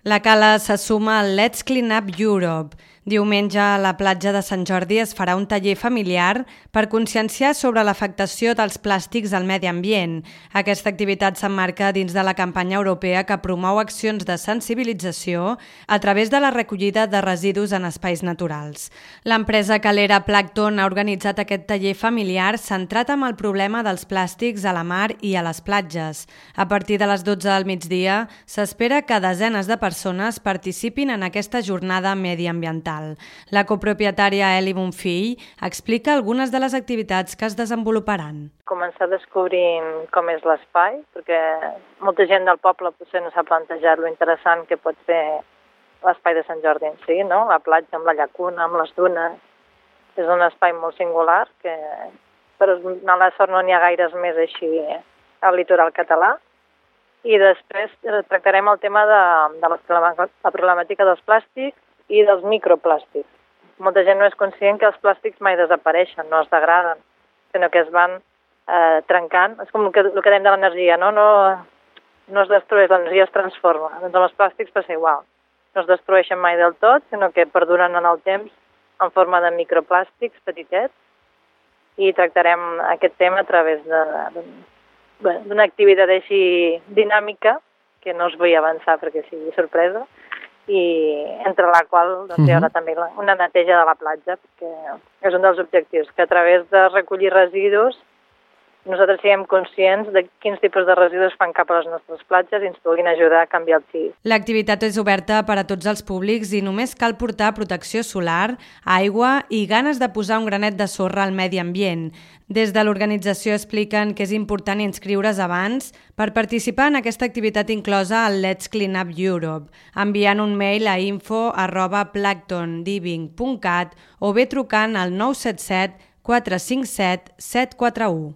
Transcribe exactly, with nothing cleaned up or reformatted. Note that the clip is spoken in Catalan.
La Cala se suma al Let's Clean Up Europe. Diumenge a la platja de Sant Jordi es farà un taller familiar per conscienciar sobre l'afectació dels plàstics al medi ambient. Aquesta activitat s'emmarca dins de la campanya europea que promou accions de sensibilització a través de la recollida de residus en espais naturals. L'empresa calera Plankton ha organitzat aquest taller familiar centrat en el problema dels plàstics a la mar i a les platges. A partir de les dotze del migdia s'espera que desenes de persones participin en aquesta jornada mediambiental. La copropietària Eli Bonfill explica algunes de les activitats que es desenvoluparan. Començar descobrint com és l'espai, perquè molta gent del poble potser no s'ha plantejat lo interessant que pot ser l'espai de Sant Jordi en si, no? La platja amb la llacuna, amb les dunes. És un espai molt singular, que per mala sort no n'hi ha gaires més així al litoral català. I després tractarem el tema de, de la problemàtica dels plàstics i dels microplàstics. Molta gent no és conscient que els plàstics mai desapareixen, no es degraden, sinó que es van eh, trencant. És com el que, el que dèiem de l'energia, no? No, no es destrueix, l'energia es transforma. Doncs amb els plàstics passa igual. No es destrueixen mai del tot, sinó que perduren en el temps en forma de microplàstics petitets, i tractarem aquest tema a través d'una activitat així dinàmica, que no us vull avançar perquè sigui sorpresa, i entre la qual doncs, hi haurà també una neteja de la platja, perquè és un dels objectius, que a través de recollir residus nosaltres siguem conscients de quins tipus de residus fan cap a les nostres platges i ens puguin ajudar a canviar el xip. L'activitat és oberta per a tots els públics i només cal portar protecció solar, aigua i ganes de posar un granet de sorra al medi ambient. Des de l'organització expliquen que és important inscriure's abans per participar en aquesta activitat inclosa al Let's Clean Up Europe, enviant un mail a info arroba planktonliving punt cat o bé trucant al nou set set quatre cinc set set quatre u.